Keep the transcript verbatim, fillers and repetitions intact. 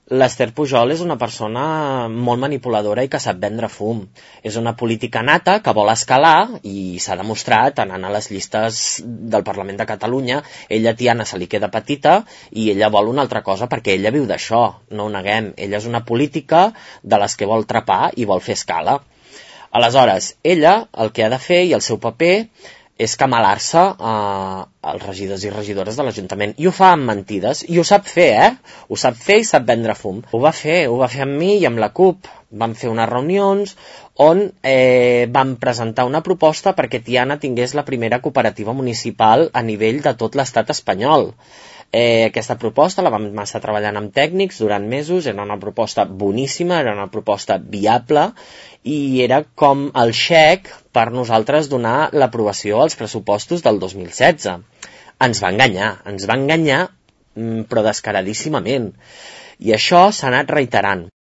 L'Esther Pujol és una persona molt manipuladora i que sap vendre fum. És una política nata que vol escalar i s'ha demostrat anant a les llistes del Parlament de Catalunya. Ella, Tiana, se li queda petita i ella vol una altra cosa perquè ella viu d'això, no ho neguem. Ella és una política de les que vol trepar i vol fer escala. Aleshores, ella el que ha de fer i el seu paper és camalar-se eh, als regidors i regidores de l'Ajuntament. I ho fa amb mentides. I ho sap fer, eh? Ho sap fer i sap vendre fum. Ho va fer, ho va fer amb mi i amb la CUP. Vam fer unes reunions on eh, vam presentar una proposta perquè Tiana tingués la primera cooperativa municipal a nivell de tot l'estat espanyol. Eh, aquesta proposta la vam estar treballant amb tècnics durant mesos, era una proposta boníssima, era una proposta viable i era com el xec per nosaltres donar l'aprovació als pressupostos del dos mil setze. Ens va enganyar, ens va enganyar però descaradíssimament i això s'ha anat reiterant.